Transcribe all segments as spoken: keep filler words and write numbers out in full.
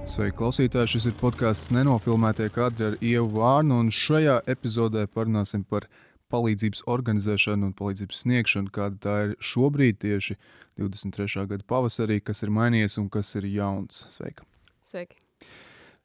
Sveiki, klausītāji! Šis ir podkāsts Nenofilmētie kadri ar Ievu Vārnu, un šajā epizodē parunāsim par palīdzības organizēšanu un palīdzības sniegšanu, kāda tā ir šobrīd, tieši divdesmit trešā gada pavasarī, kas ir mainījies un kas ir jauns. Sveika! Sveiki!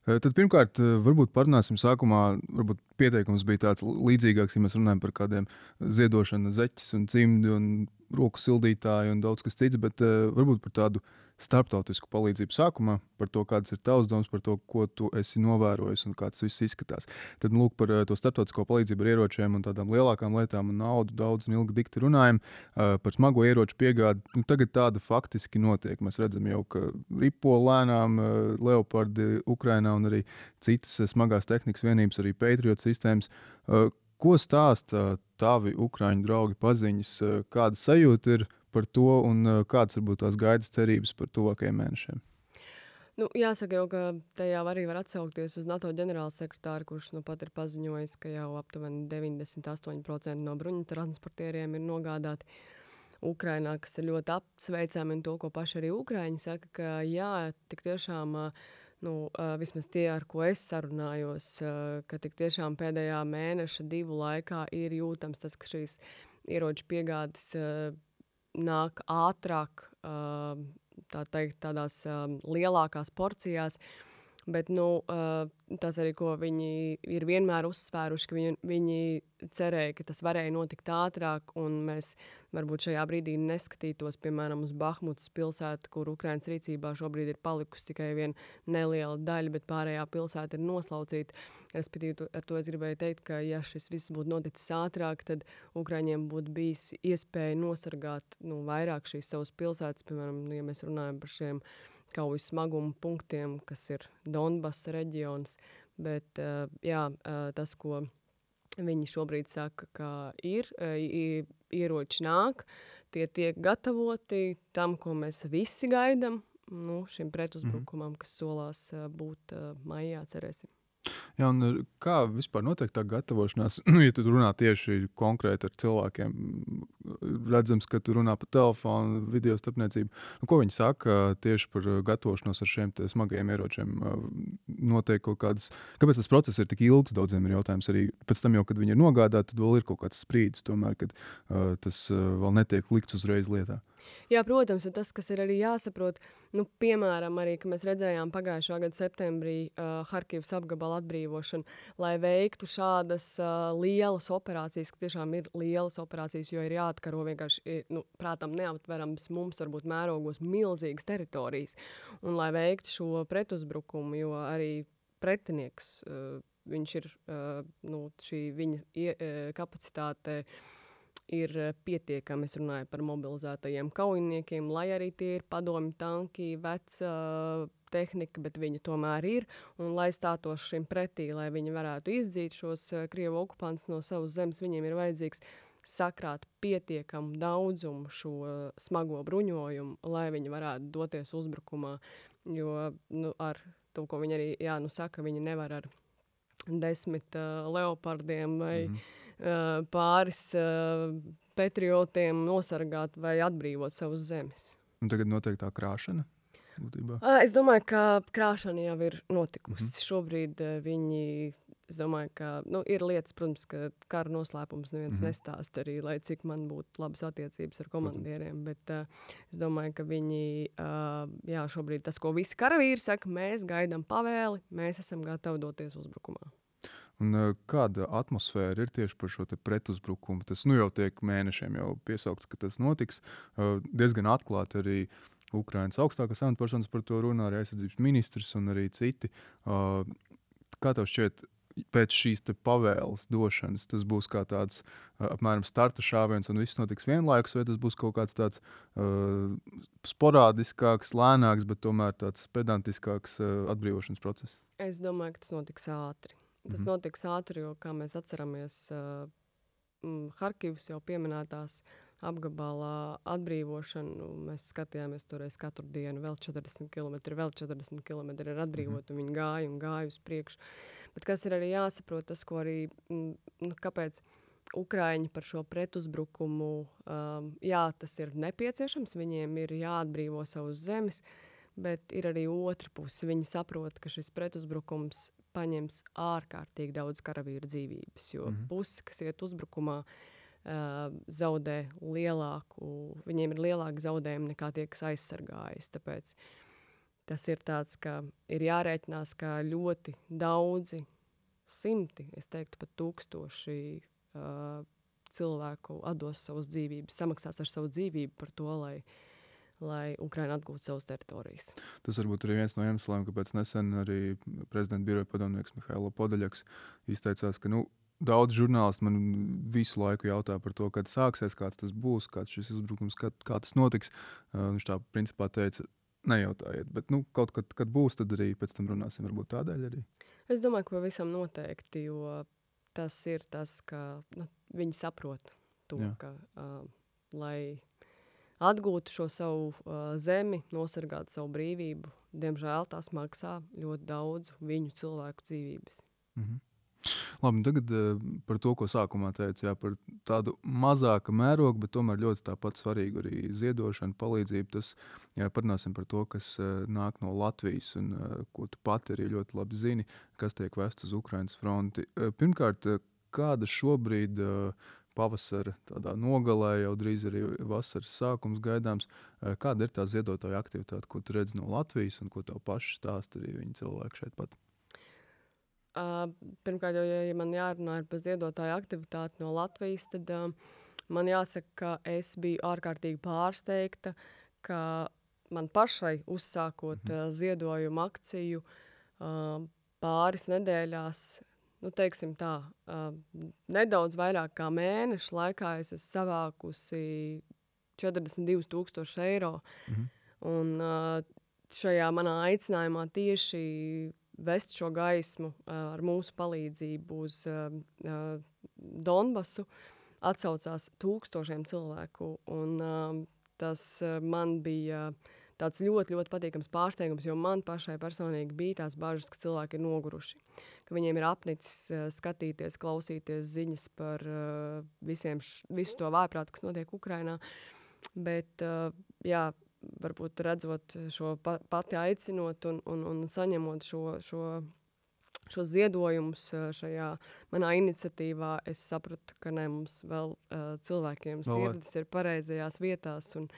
Tad pirmkārt, varbūt parunāsim sākumā, varbūt pieteikums bija tāds līdzīgāks, ja mēs runājam par kādiem ziedošana zeķes un cimdi un roku sildītāju un daudz kas cits, bet varbūt par tādu starptautisku palīdzību sākumā, par to, kāds ir tavs domas, par to, ko tu esi novērojis un kā tas viss izskatās. Tad, lūk, par to starptautisko palīdzību ar ieročiem un tādām lielākām lietām un naudu daudz un ilgi dikti runājam. Par smago ieroču piegādi, nu, tagad tāda faktiski notiek. Mēs redzam jau, ka ripo lēnām Leopardi Ukrainā un arī citas smagās tehnikas vienības, arī Patriot sistēmas. Ko stāsta tavi ukraiņu draugi, paziņas, kāda sajūta ir par to un kādas varbūt tās gaidas cerības par tuvākajiem mēnešiem? Nu, jāsaka jau, ka tajā arī var atsaukties uz NATO ģenerālsekretāru, kurš nu pat ir paziņojis, ka jau aptuveni deviņdesmit astoņi procenti no bruņu transportieriem ir nogādāti Ukrainā, kas ir ļoti apsveicami, un to, ko paši arī ukraiņi saka, ka jā, tik tiešām, nu, vismaz tie, ar ko es sarunājos, ka tik tiešām pēdējā mēneša divu laikā ir jūtams tas, ka šīs ieroču piegādes nāk ātrāk, tā teikt, tādās lielākās porcijās, bet nu, tas arī, ko viņi ir vienmēr uzsvēruši, ka viņi, viņi cerēja, ka tas varēja notikt ātrāk, un mēs varbūt šajā brīdī neskatītos, piemēram, uz Bahmutas pilsētu, kur Ukrainas rīcībā šobrīd ir palikusi tikai viena neliela daļa, bet pārējā pilsēta ir noslaucīta. Respektīvi, ar to es gribēju teikt, ka ja šis viss būtu noticis ātrāk, tad Ukraiņiem būtu bijis iespēja nosargāt nu, vairāk šīs savas pilsētas, piemēram, ja mēs runājam par šiem kaujas smaguma punktiem, kas ir Donbasa reģions, bet jā, tas, ko viņi šobrīd saka, ka ir, ieroči nāk, tie tiek gatavoti tam, ko mēs visi gaidam, nu, šim pretuzbrukumam, kas solās būt maijā, cerēsim. Jā, un kā vispār notiek tā gatavošanās? Nu, ja tu runā tieši konkrēti ar cilvēkiem, redzams, ka tu runā pa telefonu, video starpniecību. Nu, ko viņi saka tieši par gatavošanos ar šiem smagajiem ieročiem? Notiek kaut kādas... Kāpēc tas process ir tik ilgs? Daudziem ir jautājums arī pēc tam jau, kad viņi ir nogādāti, tad vēl ir kaut kāds sprīdis tomēr, kad uh, tas uh, vēl netiek likts uzreiz lietā. Jā, protams, un tas, kas ir arī jāsaprot, nu, piemēram, arī, ka mēs redzējām pagājušā gada septembrī uh, Harkivas apgabala atbrīvošanu, lai veiktu šādas uh, lielas operācijas, ka tiešām ir lielas operācijas, jo ir jāatkaro vienkārši, nu, prātam neaptverams mums varbūt mērogos milzīgas teritorijas, un lai veiktu šo pretuzbrukumu, jo arī pretinieks, uh, viņš ir, uh, nu, šī viņa ie, uh, kapacitāte, ir pietiekami, es runāju par mobilizētajiem kaujiniekiem, lai arī tie ir padomju tanki, veca tehnika, bet viņi tomēr ir, un lai stātos šim pretī, lai viņi varētu izdzīt šos Krievu okupantus no savas zemes, viņiem ir vajadzīgs sakrāt pietiekamu daudzumu šo smago bruņojumu, lai viņi varētu doties uzbrukumā, jo nu, ar to, ko viņi arī, jā, nu saka, viņi nevar ar desmit uh, leopardiem vai mm-hmm. uh, pāris uh, patriotiem nosargāt vai atbrīvot savus zemes. Un tagad notiek tā krāšana? Būtībā. Uh, es domāju, ka krāšana jau ir notikusi. Mm-hmm. Šobrīd uh, viņi, es domāju, ka nu, ir lietas, protams, ka kara noslēpums neviens mm-hmm. nestāst arī, lai cik man būtu labas attiecības ar komandieriem, mm-hmm. bet uh, es domāju, ka viņi, uh, jā, šobrīd tas, ko visi karavīri saka, mēs gaidām pavēli, mēs esam gatavi doties uzbrukumā. Un, kāda atmosfēra ir tieši par šo pretuzbrukumu? Tas nu, jau tiek mēnešiem jau piesaukts, ka tas notiks. Diezgan atklāti arī Ukrainas augstākās amatpersonas par to runā, arī aizsardzības ministrs un arī citi. Kā tev šķiet, pēc šīs pavēles došanas tas būs kā tāds apmēram starta šāviens un viss notiks vienlaikus, vai tas būs kaut kāds tāds uh, sporādiskāks, lēnāks, bet tomēr tāds pedantiskāks uh, atbrīvošanas process? Es domāju, ka tas notiks ātri. Tas mm-hmm. notiks ātri, jo, kā mēs atceramies, uh, Harkivas jau pieminētās apgabalā atbrīvošanu, mēs skatījāmies toreiz katru dienu, vēl četrdesmit kilometri, vēl četrdesmit kilometri ir atbrīvot, mm-hmm. un viņi gāja un gāja uz priekšu. Bet kas ir arī jāsaprot, tas, ko arī, nu, kāpēc Ukraiņi par šo pretuzbrukumu, um, jā, tas ir nepieciešams, viņiem ir jāatbrīvo savus zemes, bet ir arī otra puse. Viņi saprot, ka šis pretuzbrukums paņems ārkārtīgi daudz karavīru dzīvības, jo Mhm. puse, kas iet uzbrukumā, uh, zaudē lielāku, viņiem ir lielāki zaudējumi nekā tie, kas aizsargājas. Tāpēc tas ir tāds, ka ir jārēķinās, ka ļoti daudzi, simti, es teiktu pat tūkstoši uh, cilvēku atdos savas dzīvības, samaksās ar savu dzīvību par to, lai, lai Ukraina atgūtu savas teritorijas. Tas varbūt arī viens no iemesliem, kāpēc nesen arī prezidenta biroja padomnieks Mihailo Podaļaks izteicās, ka nu, daudz žurnālisti man visu laiku jautā par to, kad sāksies, kāds tas būs, kāds šis uzbrukums, kad, kā tas notiks. Uh, viņš tā principā teica, nejautājiet, bet nu, kaut kad, kad būs, tad arī pēc tam runāsim, varbūt tādēļ arī. Es domāju, ka pavisam noteikti, jo tas ir tas, ka nu, viņi saprot to, Jā. ka, uh, lai atgūtu šo savu uh, zemi, nosargātu savu brīvību, diemžēl tas maksā ļoti daudz viņu cilvēku dzīvības. Mhm. Labi, tagad uh, par to, ko sākumā teicu, jā, par tādu mazāku mērogu, bet tomēr ļoti tāpat svarīgu arī ziedošanu, palīdzību. Tas, jā, parunāsim par to, kas uh, nāk no Latvijas un uh, ko tu pati arī ļoti labi zini, kas tiek vests uz Ukrainas fronti. Uh, pirmkārt, uh, kāda šobrīd uh, pavasara tādā nogalē, jau drīz arī vasaras sākums gaidāms, uh, kāda ir tā ziedotāja aktivitāte, ko tu redzi no Latvijas un ko tev paši stāsta arī viņi cilvēki šeit pat? Uh, pirmkārt, jau, ja, ja man jārunā par ziedotāju aktivitāti no Latvijas, tad uh, man jāsaka, ka es biju ārkārtīgi pārsteigta, ka man pašai uzsākot Mhm. uh, ziedojumu akciju uh, pāris nedēļās, nu, teiksim tā, uh, nedaudz vairāk kā mēneša laikā es esmu savākusi četrdesmit divus tūkstošus eiro. Mhm. Un uh, šajā manā aicinājumā tieši vest šo gaismu uh, ar mūsu palīdzību uz uh, uh, Donbasu atsaucās tūkstošiem cilvēku. Un, uh, tas uh, man bija tāds ļoti, ļoti patīkams pārsteigums, jo man pašai personīgi bija tās bažas, ka cilvēki ir noguruši, ka viņiem ir apnicis uh, skatīties, klausīties ziņas par uh, visiem š, visu to vājprātu, kas notiek Ukrainā. Bet, uh, jā, varbūt redzot šo pa, pati aicinot un, un, un saņemot šo, šo, šo ziedojumus šajā manā iniciatīvā, es sapratu, ka ne, mums vēl uh, cilvēkiem Vēl vajag. sirds ir pareizajās vietās un,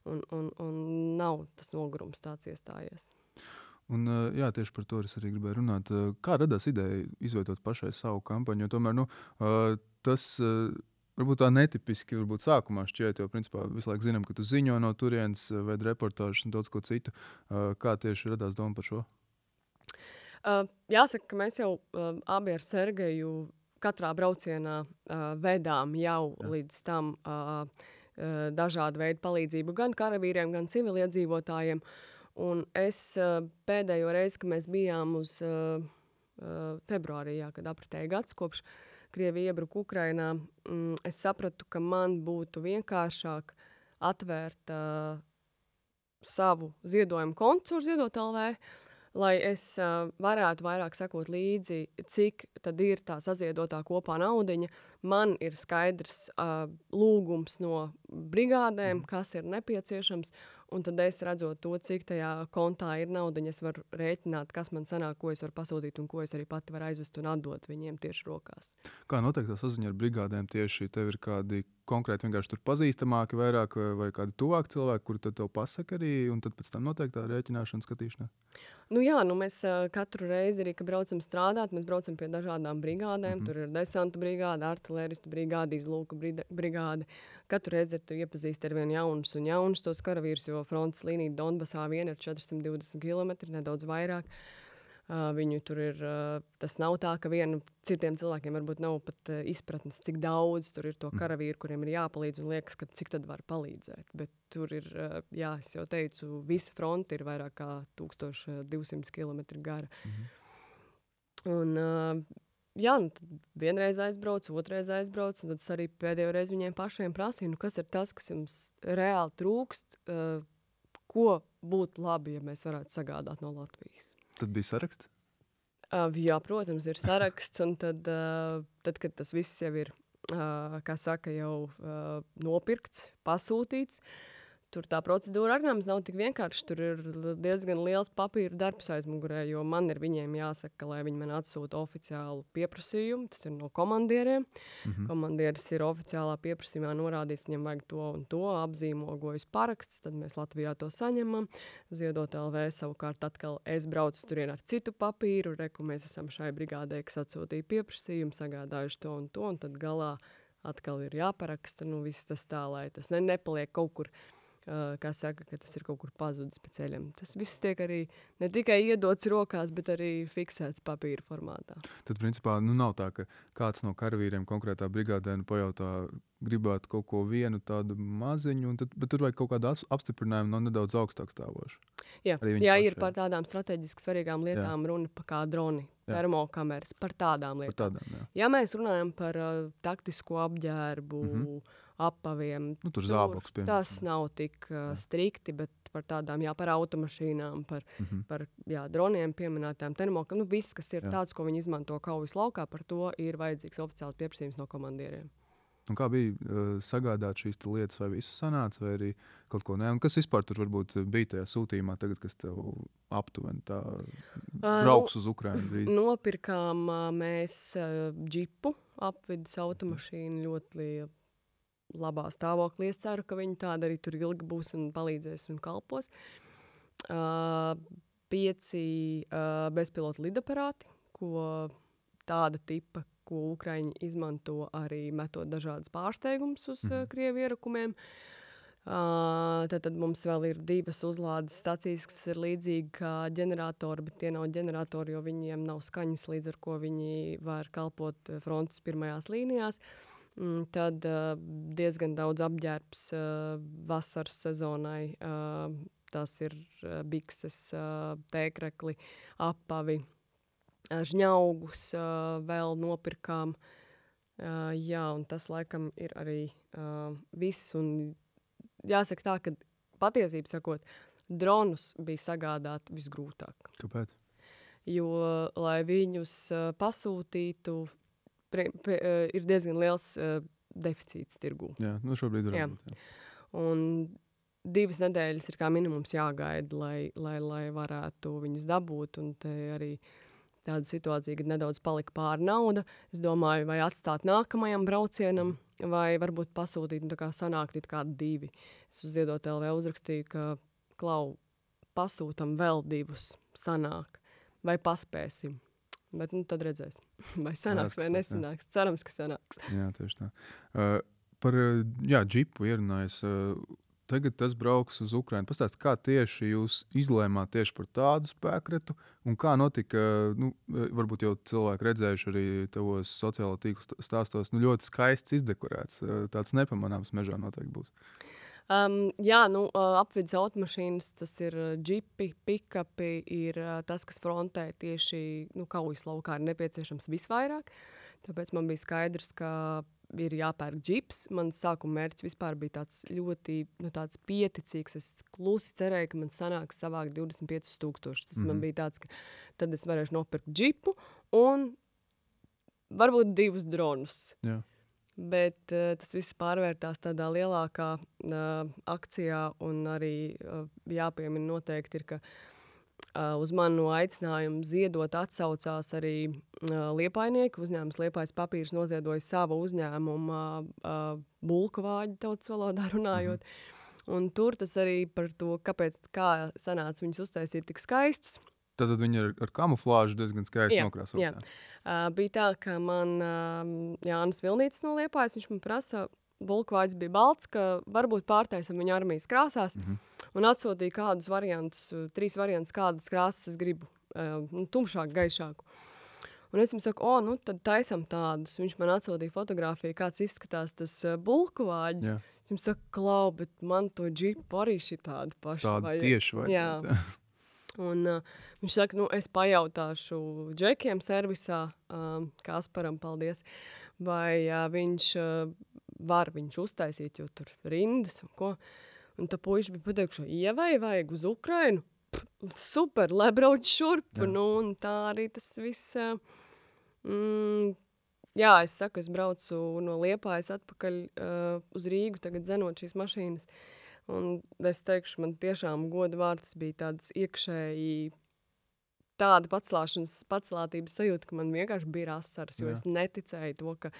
un, un, un nav tas nogurums tāds iestājies. Un, uh, jā, tieši par to es arī gribēju runāt. Uh, Kā radās ideja izveidot pašai savu kampaņu? Jo tomēr nu, uh, tas uh, varbūt tā netipiski varbūt sākumā šķiet, jo principā visu laiku zinām, ka tu ziņo no turienes, uh, veidi reportāžas un daudz ko citu. Uh, Kā tieši radās doma par šo? Uh, jāsaka, ka mēs jau uh, abi ar Sergeju katrā braucienā uh, vedām jau Jā. līdz tam uh, uh, dažādu veidu palīdzību gan karavīriem, gan civiliedzīvotājiem. Un es uh, pēdējo reizi, kad mēs bijām uz uh, uh, februārī, jā, kad apritēja gads kopš Krievija iebruka Ukrainā, mm, es sapratu, ka man būtu vienkāršāk atvērt uh, savu ziedojumu kontu ar Ziedot L V, lai es uh, varētu vairāk sekot līdzi, cik tad ir tā saziedotā kopā naudiņa. Man ir skaidrs uh, lūgums no brigādēm, Mhm. kas ir nepieciešams, un tad es redzot to, cik tajā kontā ir naudiņa, es varu rēķināt, kas man sanāk, ko es varu pasūtīt un ko es arī pati varu aizvest un atdot viņiem tieši rokās. Kā notiek tā saziņa ar brigādēm tieši? Tev ir kādi konkrēti vienkārši tur pazīstamāki vairāk vai, vai kādi tuvāki cilvēki, kuri tad tev pasaka arī, un tad pēc tam notiek tā rēķināšana, skatīšana? Nu jā, nu mēs uh, katru reizi arī, kad braucam strādāt, mēs braucam pie dažādām brigādēm. Mhm. Tur ir desanta brigāde, artilēristu brigāde, izlūka brida- brigāde. Katru reizi ir tu iepazīsti ar vien jaunus un jaunus tos karavīrus, jo frontes līnija Donbasā vien ir četri simti divdesmit kilometri, nedaudz vairāk. Uh, viņu tur ir, uh, tas nav tā, ka vienu citiem cilvēkiem varbūt nav pat uh, izpratnes, cik daudz tur ir to Mhm. karavīru, kuriem ir jāpalīdz un liekas, ka cik tad var palīdzēt. Bet tur ir, uh, jā, es jau teicu, visa fronte ir vairāk kā tūkstoš divsimt kilometri gara. Mhm. Un, uh, jā, nu tad vienreiz aizbrauc, otrreiz aizbrauc, un tad es arī pēdējo reizi viņiem pašiem prasīju, nu kas ir tas, kas jums reāli trūkst, uh, ko būtu labi, ja mēs varētu sagādāt no Latvijas. Tad bija saraksts? Uh, jā, protams, ir saraksts, un tad, uh, tad kad tas viss jau ir, uh, kā saka, jau uh, nopirkts, pasūtīts, tur tā procedūra arī nemaz nav tik vienkārši. Tur ir diezgan liels papīra darbs aizmugurē, jo man ir viņiem jāsaka, lai viņi man atsūta oficiālu pieprasījumu. Tas ir no komandieriem. Mhm. Komandieris ir oficiālā pieprasījumā norādījis, viņam vajag to un to, apzīmogojas paraksts, tad mēs Latvijā to saņemam. Ziedot L V savukārt atkal es braucu turien ar citu papīru, reku mēs esam šai brigādē, kas atsūtīja pieprasījumu, sagādājuši to un to, un tad galā atkal ir jāparaksta, nu viss tas tā, lai tas ne, nepaliek kaut kur, uh, kā saka, ka tas ir kaut kur pazudis pa ceļam. Tas viss tiek arī ne tikai iedots rokās, bet arī fiksēts papīra formātā. Tad, principā, nu nav tā, ka kāds no karavīriem konkrētā brigādē nu pajautā, gribētu kaut ko vienu tādu maziņu, un tad, bet tur vajag kaut kādu as- apstiprinājumu no nedaudz augstāk stāvošu. Jā, Arī viņi jā paši ir ir. par tādām strateģiski svarīgām lietām runa pa kā droni, Jā. termokameras, par tādām Par lietām. tādām, jā. Ja mēs runājam par uh, taktisko apģērbu, Mhm. apaviem, Nu, tur zābaks, piemēram. tas nav tik uh, strikti, bet par tādām, jā, par automašīnām, par, Mhm. par jā, droniem pieminētām termokam, nu viss, kas ir Jā. tāds, ko viņi izmanto kaujas laukā, par to ir vajadzīgs oficiāls pieprasījums no komandieriem. Un kā bija uh, sagādāt šīs te lietas, vai visu sanāca, vai arī kaut ko ne? Un kas vispār tur varbūt bija tajā sūtījumā tagad, kas tev aptuveni tā brauks uz Ukrainu drīz? Nopirkām ā, mēs ā, džipu, apvidus automašīnu ļoti li- labā stāvoklī. Es ceru, ka viņi tāda arī tur ilgi būs un palīdzēs un kalpos. Uh, pieci uh, bezpilota lidaparāti, ko tāda tipa, ko Ukraiņi izmanto arī metot dažādas pārsteigumus uz Mhm. mm. Krievu ierakumiem. Uh, tad, tad mums vēl ir divas uzlādes stacijas, kas ir līdzīgi kā ģeneratori, bet tie nav ģeneratori, jo viņiem nav skaņas, līdz ar ko viņi var kalpot eh, frontes pirmajās līnijās. Mm, Tad uh, diezgan daudz apģērbs uh, vasaras sezonai. Uh, tas ir uh, bikses, uh, tēkrekli, apavi, uh, žņaugus uh, vēl nopirkām. Uh, jā, un tas laikam ir arī uh, viss. Un jāsaka tā, ka patiesībā sakot, dronus bija sagādāt visgrūtāk. Kāpēc? Jo, lai viņus uh, pasūtītu, pre, pre, uh, ir diezgan liels uh, deficīts tirgū. Jā, nu šobrīd Jā. varbūt. Jā. Un divas nedēļas ir kā minimums jāgaida, lai, lai, lai varētu viņus dabūt. Un te arī tāda situācija, kad nedaudz palika pāri nauda. Es domāju, vai atstāt nākamajam braucienam, vai varbūt pasūtīt, nu tā kā sanākt it kā divi. Es uz Ziedot L V uzrakstīju, ka klau, pasūtam vēl divus, sanāk, vai paspēsim. Bet nu tad redzēsim, vai sanāks vai Jāskatās, jā. nesanāks. Cerams, ka sanāks. Jā, tieši tā. Uh, par uh, jā, džipu ierunājis. Uh, tagad tas brauks uz Ukrainu. Pastāst, kā tieši jūs izlēmāt tieši par tādu spēkretu, un kā notika, uh, nu, uh, varbūt jau cilvēki redzējuši arī tavos sociālo tīklu st- stāstos, nu ļoti skaists izdekorēts. Uh, tāds nepamanāms mežā noteikti būs. Um, jā, nu, uh, apvidus automašīnas, tas ir uh, džipi, pikapi, ir uh, tas, kas frontē tieši nu, kaujas laukā ir nepieciešams visvairāk. Tāpēc man bija skaidrs, ka ir jāpērk džips. Mans sākuma mērķis vispār bija tāds ļoti nu, tāds pieticīgs. Es klusi cerēju, ka man sanāks savākt divdesmit piecus tūkstošus. Tas mm -hmm. man Mhm. bija tāds, ka tad es varēšu nopirkt džipu un varbūt divus dronus. Jā. Bet uh, tas viss pārvērtās tādā lielākā uh, akcijā, un arī uh, jāpiemina noteikti ir, ka uh, uz manu aicinājumu ziedot atsaucās arī uh, liepainieki. Uzņēmums Liepājas papīrs noziedoja savu uzņēmumu uh, bulku vāģi tautas valodā runājot. Un tur tas arī par to, kāpēc, kā sanāca viņus uztaisīt tik skaistus. Tad viņi ar, ar kamuflāžu diezgan skaisti Jā, nokrāsot. jā. Uh, bija tā, ka man uh, Jānis Vilnītis no Liepājas, viņš man prasa, bulkvāģis bija balts, ka varbūt pārtaisam viņa armijas krāsās, Mhm. un atsūtīja kādus variantus, uh, trīs variantus, kādas krāsas es gribu, uh, nu, tumšāk, gaišāku. Un es viņam saku, o, nu tad taisam tādus. Viņš man atsūtīja fotografiju, kāds izskatās tas uh, bulkvāģis. Jā. Es viņam saku, klau, bet man to džipu arī šitādu pašu Tāda vajag. tieši vai Jā. Un, uh, viņš saka, nu, es pajautāšu džekiem servisā, um, Kasparam, paldies, vai uh, viņš uh, var viņš uztaisīt, jo tur rindas un ko. Un tā puiši bija pateikuši, ievai vajag uz Ukrainu. Pff, super, lai brauc šurp. Jā. Nu, un tā arī tas viss. Uh, mm, jā, es saku, es braucu no Liepājas atpakaļ uh, uz Rīgu, tagad dzenot šīs mašīnas. Un es teikšu, man tiešām goda vārds bija tāds iekšēji tāda paclāšanas, paclātības sajūta, ka man vienkārši bija asaras, jo Jā. es neticēju to, ka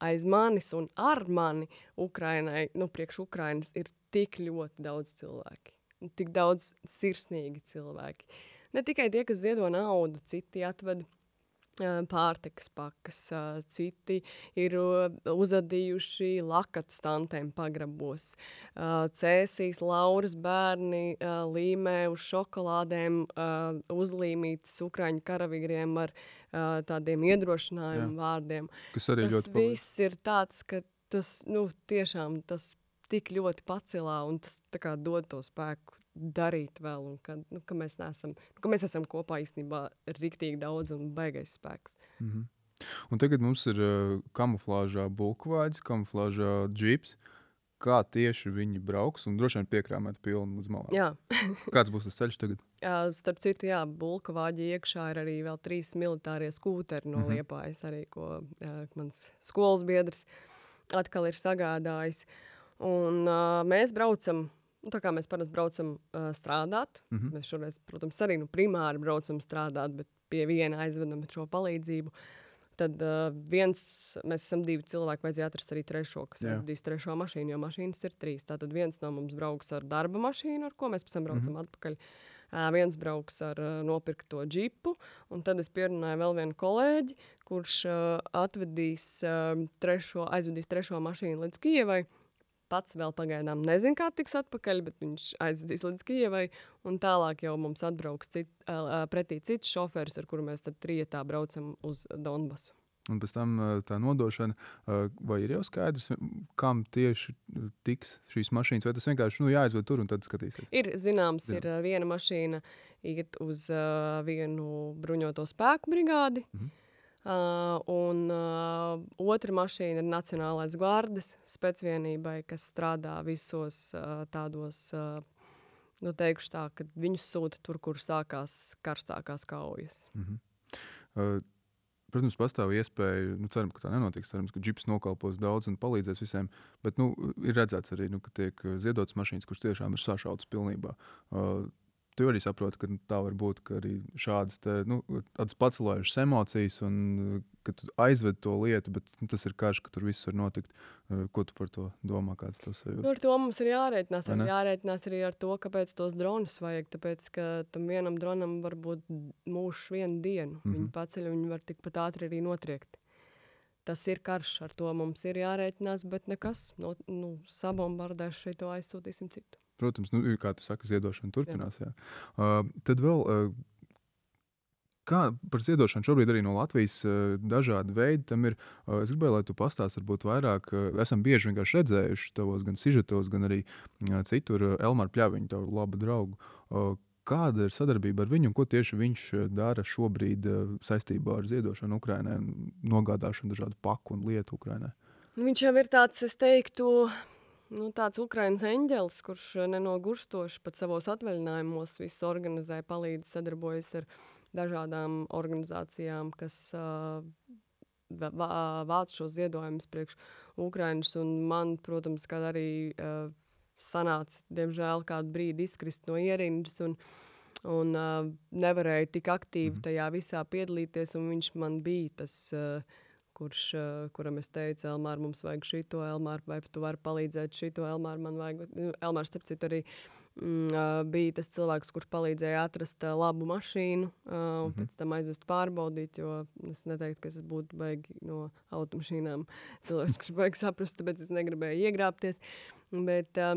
aiz manis un ar mani Ukrainai, nu, priekš Ukrainas ir tik ļoti daudz cilvēki. Tik daudz sirsnīgi cilvēki. Ne tikai tie, kas ziedo naudu, citi atved ā, pārtikas pakas, ā, citi ir ā, uzadījuši lakatu stantēm pagrabos. Ā, Cēsīs Lauras bērni ā, līmē uz šokolādēm ā, uzlīmītas ukraiņu karavīriem ar ā, tādiem Jā. iedrošinājumu vārdiem. Kas arī Tas ļoti palīdz. viss ir tāds, ka tas, nu, tiešām tas tik ļoti pacelā un tas tā kā dod to spēku darīt vēl un ka, nu, ka mēs neesam, ka mēs esam kopā īstenībā riktīgi daudz un baigais spēks. Mhm. Un tagad mums ir uh, kamuflāžā bulkvāģis, kamuflāžā džips. Kā tieši viņi brauks un droši vien piekrāmēt pilnu līdz malām? Jā. Kāds būs tas ceļš tagad? Jā, starp citu, jā, bulka vāģi iekšā ir arī vēl trīs militārie skūteri no Mhm. Liepājas, arī, ko jā, mans skolas biedrs atkal ir sagādājis. Un uh, mēs braucam, nu, tā kā mēs parasti braucam uh, strādāt. Mhm. Mēs šoreiz, protams, arī nu, primāri braucam strādāt, bet pie viena aizvedam šo palīdzību. Tad uh, viens, mēs esam divi cilvēki, vajadzēja atrast arī trešo, kas Jā. aizvedīs trešo mašīnu, jo mašīnas ir trīs. Tātad viens no mums brauks ar darba mašīnu, ar ko mēs pēc tam braucam Mhm. atpakaļ. Uh, viens brauks ar uh, nopirkto džipu, un tad es pierunāju vēl vienu kolēģi, kurš uh, atvedīs uh, trešo, aizvedīs trešo mašīnu līdz Kijevai. Pats vēl pagaidām nezinu, kā tiks atpakaļ, bet viņš aizvedīs līdz Kijevai, un tālāk jau mums atbrauks cit, uh, pretī cits šoferis, ar kuru mēs tad trietā braucam uz Donbasu. Un pēc tam uh, tā nodošana, uh, vai ir jau skaidrs, m, kam tieši uh, tiks šīs mašīnas, vai tas vienkārši nu, jāaizved tur un tad skatīsies? Ir zināms, Jā. ir uh, viena mašīna iet uz uh, vienu bruņoto spēku brigādi, Mhm. Uh, un uh, otra mašīna ir Nacionālais gvardes specvienībai, kas strādā visos uh, tādos, uh, nu teikšu tā, ka viņus sūta tur, kur sākās karstākās kaujas. Mhm. Uh, Protams, pastāv iespēja, nu, ceram, ka tā nenotiks. Cerams, ka džips nokalpos daudz un palīdzēs visiem. Bet nu, ir redzēts arī, nu, ka tiek uh, ziedotas mašīnas, kuras tiešām ir sašautas pilnībā. Uh, Tu arī saproti, ka tā var būt ka arī šādas te, nu, tādas pacelājušas emocijas, un uh, ka tu aizved to lietu, bet nu, tas ir karš, ka tur viss var notikt. Uh, Ko tu par to domā? Kāds tas ir? Nu, ar to mums ir jārēķinās. Vai Ir ne? jārēķinās arī ar to, kāpēc tos dronus vajag. Tāpēc, ka tam vienam dronam var būt mūžs vienu dienu. Mhm. Viņi paceļ un viņi var tikpat ātri arī notriekt. Tas ir karš, ar to mums ir jārēķinās, bet nekas. No, nu, sabombardēs šeit to aizsūtīsim citu. Protams, nu, kā tu saki, ziedošana turpinās. Jā. Uh, tad vēl, uh, kā par ziedošanu šobrīd arī no Latvijas uh, dažādi veidi tam ir. Uh, es gribēju, lai tu pastāstītu, varbūt vairāk. Uh, esam bieži vienkārši redzējuši tavos gan sižetos, gan arī uh, citur uh, Elmāru Pļaviņu, tavu labu draugu. Uh, kāda ir sadarbība ar viņu un ko tieši viņš uh, dara šobrīd uh, saistībā ar ziedošanu Ukrainai un nogādāšanu dažādu paku un lietu Ukrainai? Nu, viņš jau ir tāds, es teiktu, nu, tāds Ukrainas eņģelis, kurš eh, nenogurstoši pat savos atvaļinājumos visu organizē, palīdz, sadarbojas ar dažādām organizācijām, kas uh, vāc šos ziedojumus priekš Ukrainas. Un man, protams, kad arī uh, sanāca, diemžēl, kādu brīdi izkrist no ierindas un, un uh, nevarēju tik aktīvi Mhm. tajā visā piedalīties, un viņš man bija tas, uh, kurš, uh, kuram es teicu, Elmār, mums vajag šito, Elmār, vai tu vari palīdzēt šito, Elmār, man vajag. Nu, Elmārs, starp citu, arī mm, uh, bija tas cilvēks, kurš palīdzēja atrast uh, labu mašīnu, uh, un Mhm. pēc tam aizvest pārbaudīt, jo es neteiktu, ka es būtu baigi no automašīnām cilvēks, kurš baigi saprast, tāpēc es negribēju iegrābties. Bet uh,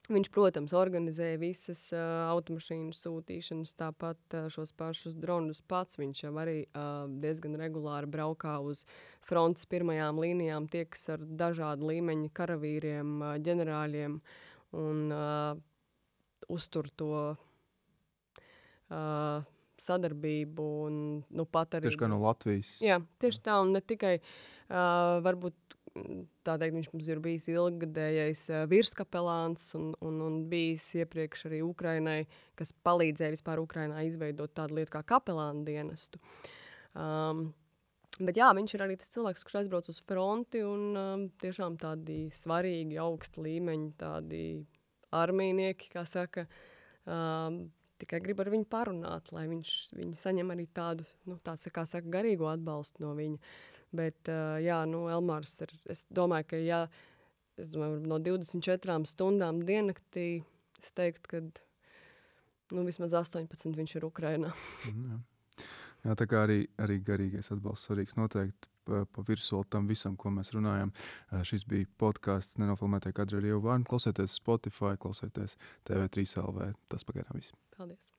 viņš, protams, organizēja visas uh, automašīnu sūtīšanas, tāpat uh, šos pašus dronus pats. Viņš jau arī uh, diezgan regulāri braukā uz frontes pirmajām līnijām, tiekas ar dažādu līmeņu karavīriem, uh, ģenerāļiem un uh, uztur to uh, sadarbību un nu, pat arī. Tieši kā no Latvijas. Jā, tieši tā, un ne tikai uh, varbūt mm, tā teikt, viņš mums ir bijis ilggadējais uh, virskapelāns un, un, un bijis iepriekš arī Ukrainai, kas palīdzēja vispār Ukrainā izveidot tādu lietu kā kapelānu dienestu. Um, bet jā, viņš ir arī tas cilvēks, kurš aizbrauc uz fronti un um, tiešām tādi svarīgi, augsta līmeņa, tādi armijnieki, kā saka, um, tikai grib ar viņu parunāt, lai viņš, viņi saņem arī tādu, nu, tāds, kā saka, garīgo atbalstu no viņa. Bet, uh, jā, nu, Elmārs ir, es domāju, ka, jā, es domāju, no divdesmit četrām stundām diennaktī, es teiktu, ka, nu, vismaz astoņpadsmit viņš ir Ukrainā. Mm, jā. Jā, tā kā arī, arī garīgais atbalsts svarīgs noteikti pa, pa virsmu tam visam, ko mēs runājam. Uh, šis bija podkāsts Nenofilmētie kadri ar Ievu Vārnu. Klausieties Spotify, klausieties T V trīs L V. Tas pagaidām viss. Paldies!